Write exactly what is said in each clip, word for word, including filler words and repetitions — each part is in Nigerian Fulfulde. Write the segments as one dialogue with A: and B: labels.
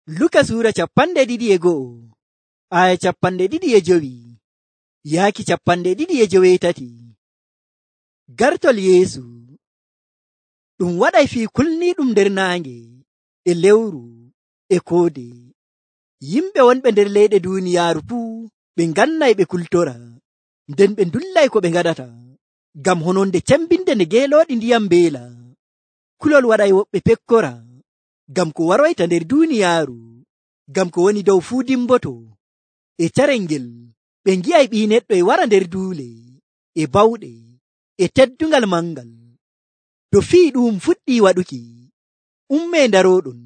A: Luka Suura capanɗe ɗiɗi e go'o aya capanɗe ɗiɗi e jowi yaaki capanɗe ɗiɗi e joweetati. Gartol Yeesu ɗum waɗay fii kulniiɗum nder naange e lewru e koode. Yimɓe wonɓe nder leyɗe duuniyaaru fuu ɓe ngannay ɓe kultora, nden ɓe ndullay ko ɓe ngaɗata, ngam hononde cembinde nde geelooɗi ndiyam mbeela. Kulol waɗay woɓɓe pekkora, ngam ko waroyta nder duuniyaaru, ngam ko woni dow fuu dimboto. E carel ngel ɓe ngi'ay Ɓii Neɗɗo e wara nder duule e bawɗe e teddungal mangal. To fii ɗum fuɗɗii waɗuki, ummee ndarooɗon,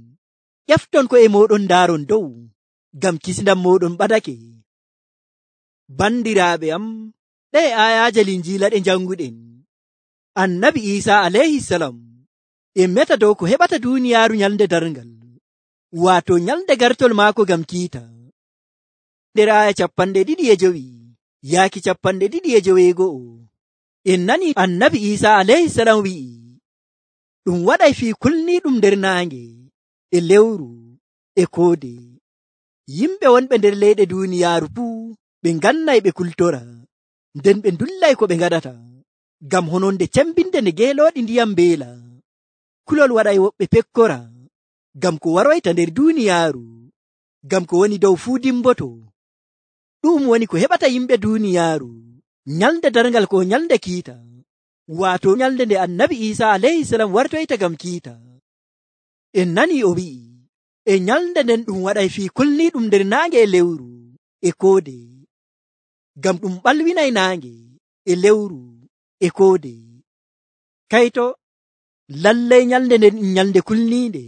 A: ƴefton ko'e mooɗon ndaaron dow, ngam kisndam mooɗon ɓadake. Bandiraaɓe am, ɗee aayaaje Linjiila ɗe njannguɗen, Annabi Iisaa alayhisalam e meta dow ko heɓata duuniyaaru nyalnde darngal, waato nyalnde gartol maako ngam kiita. Nder aaya capanɗe ɗiɗi e jowi yaaki capanɗe ɗiɗi e joweego'o, en nani Annabi Iisaa alayhisalam wi'i, ɗum waɗay fii kulniiɗum nder naange e lewru e koode. Yimɓe wonɓe nder leyɗe duuniyaaru fuu ɓe ngannay ɓe kultora, nden ɓe ndullay ko ɓe ngaɗata, ngam hononde cembinde nde geelooɗi ndiyam mbeela. Kulol waɗay woɓɓe pekkora, ngam ko waroyta nder duuniyaaru, ngam ko woni dow fuu dimboto. Ɗum woni ko heɓata yimɓe duuniyaaru nyalnde darngal ko nyalnde kiita, waato nyalnde nde Annabi Iisaa alayhisalam wartoyta ngam kiita. En nanii o wi'i, e nyalnde nden ɗum waɗay fii kulniiɗum nder naange e lewru e koode, ngam ɗum ɓalwinay naange e lewru e koode. Kayto lallay nyalnde nden ɗum nyalnde kulniinde,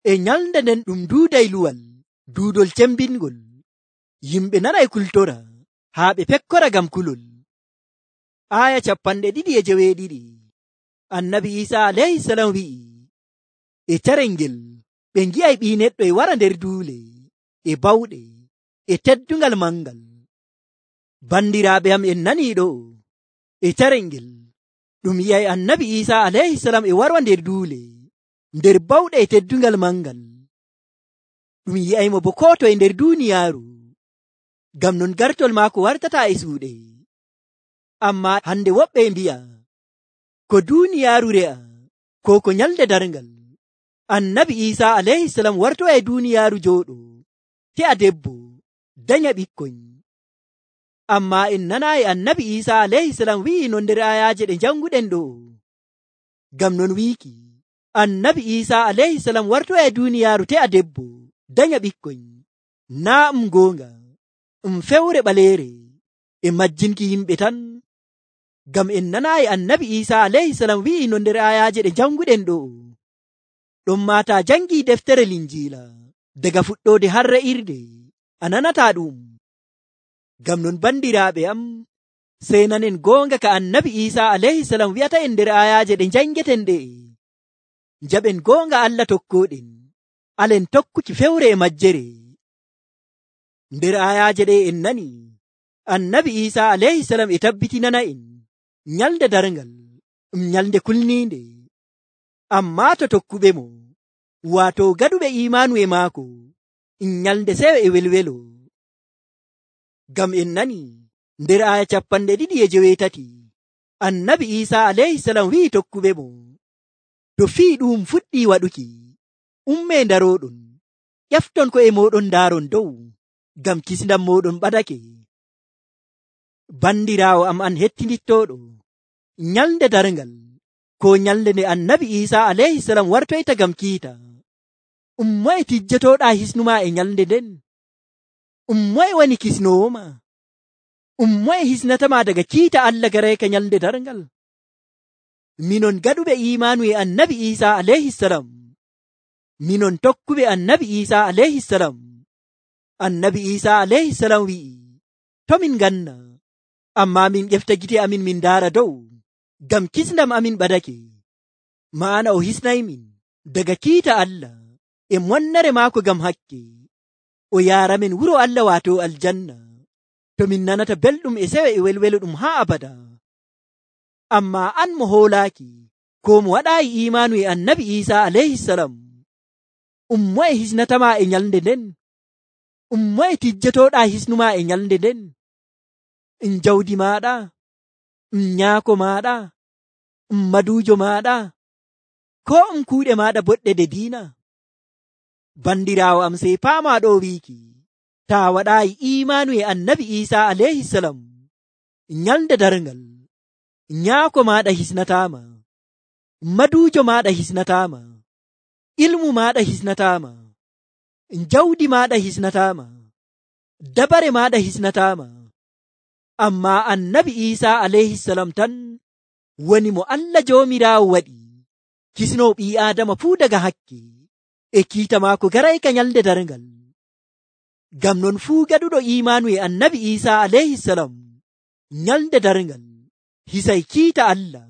A: e nyalnde nden ɗum duuday luwal, duudol cembingol. Yimɓe nanay kultora haa ɓe pekkora ngam kulol. Aaya capanɗe ɗiɗi e joweeɗiɗi Annabi Iisaa alayhisalam wi'i, e carel ngel ɓe ngi'ay Ɓii Neɗɗo e wara nder duule e bawɗe e teddungal mangal. Bandiraaɓe am, en nanii ɗo, e carel ngel ɗum yi'ay Annabi Iisaa alayhisalam e wara nder duule, nder bawɗe e teddungal mangal. Ɗum yi'aymo bo koo toye nder duuniyaaru, ngam non gartol maako wartataa e suuɗe. Ammaa hande woɓɓe mbi'a, ko duuniyaaru re'a, ko ko nyalnde darngal. Annabi Iisaa alayhisalam wartoya e duuniyaaru jooɗo, te'a debbo, danya ɓikkoy. Ammaa en nanaayi Annabi Iisaa alayhisalam wi'i non nder aayaaje ɗe njannguɗen ɗo. Ngam non wiiki, Annabi Iisaa alayhisalam wartoya e duuniyaaru te'a debbo, danya ɓikkoy, naa um goonga, um fewre ɓaleere e majjinki yimɓe tan. Ngam en nanaayi Annabi Iisaa alayhisalam wi'i non nder aayaaje ɗe njannguɗen ɗo. Ɗon maataa janngii deftere Linjiila daga fuɗɗoode har re'irde, a nanataa ɗum. Ngam non bandiraaɓe am, sey nanen goonga ka Annabi Iisaa alayhisalam wi'ata en nder aayaaje ɗe njanngeten ɗe. Njaɓen goonga Allah tokkooɗen, alen tokkuki fewre e majjere. Nder aayaaje ɗe en nani Annabi Iisaa alayhisalam e tabbitinana en nyalnde darngal ɗum nyalnde kulniinde, ammaa to tokkuɓe mo, waato gaɗuɓe iimaanu e maako, ɗum nyalnde seyo e welwelo. Ngam en nani nder aaya capanɗe ɗiɗi e joweetati Annabi Iisaa alayhisalam wi'i tokkuɓe mo, to fii ɗum fuɗɗii waɗuki, ummee ndarooɗon, ƴefton ko'e mooɗon ndaaron dow, ngam kisndam mooɗon ɓadake. Bandiraawo am an hettinittooɗo, nyalnde darngal ko nyalnde nde Annabi Iisaa alayhisalam wartoyta ngam kiita, um moye tijjotooɗaa hisnumaa e nyalnde nden? Um moye woni kisnoowo ma? Um moye hisnatamaa daga kiita Allah garayka nyalnde darngal? Minon gaɗuɓe iimaanu e Annabi Iisaa alayhisalam, minon tokkuɓe Annabi Iisaa alayhisalam, Annabi Iisaa alayhisalam wi'i, to min ganna, ammaa min ƴefta gite amin min ndaara dow, ngam kisndam amin ɓadake. Ma'ana o hisnaymin daga kiita Allah e monnere maako ngam hakke, o yaaramen wuro Allah waato aljanna, to min nanata belɗum e sewe e welwelo ɗum haa abada. Ammaa an mo hoolaaki, ko mo waɗaayi iimaanu e Annabi Iisaa alayhisalam, um moye hisnatama e nyalde nden, um moye tijjetoɗa hisnuma e nyalde nden, um jawdi maɗa, um nyaako maɗa, um madujo maɗa, ko um kuuɗe maɗa boɗɗe de diina. Bandirawo am sey paama ɗo wiiki, ta waɗayi imanu e annabi Isa alayhi salam, nyalde darngal nyaako maɗa hisnatama, madujo maɗa hisnatama, ilmu maɗa hisnatama, jawdi maɗa hisnatama, dabare maɗa hisnatama. Amma annabi Isa alayhi salam tan woni mo Allah jomirawo waɗi kisno ɓii Adama fuu daga hakke e kiita maako garayka nyalde darngal. Ngam non fuu gaɗuɗo imanu e annabi Isa alayhi salam nyalde darngal hisay kiita Allah,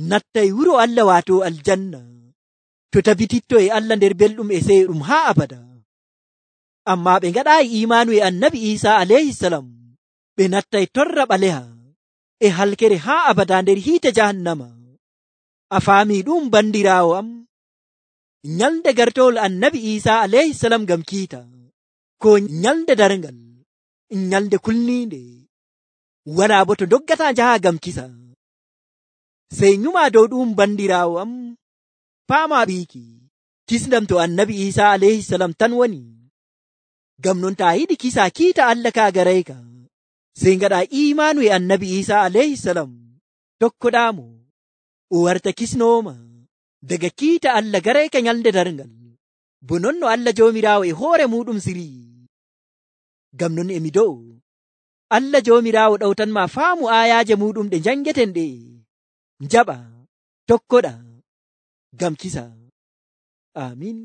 A: nattay wuro Allah wato aljanna, to tabititto e Allah nder belɗum e seyɗum haa abada. Amma ɓe ngaɗayi imanu e annabi Isa alayhi salam, ɓe nattay torra ɓaleha e halkere haa abada nder hiite jahannama. A faami ɗum bandirawo am? Nyalde gartowol annabi Isa alayhi salam ngam kiita ko nyalde darngal, nyalde kulninde, wala bo to doggata jaha ngam kisa. Sey nyuma dow ɗum bandirawo am, paama ɓiiki kisnam to annabi Isa alayhi salam tan woni. Ngam non ta yiɗi kisa kiita Allah ka garayka, sey ngaɗa imanu e annabi Isa alayhi salam, tokkoɗamo o warta kisnoma daga kiita Allah garayka nyalde darngal, bo non no Allah jomirawo e hoore muɗum siri. Ngam non emi dow Allah jomirawo ɗawtanma faamu ayaje muɗum ɗe jangeten ɗe, jaɓa tokkoɗa ngam kisa. Amin.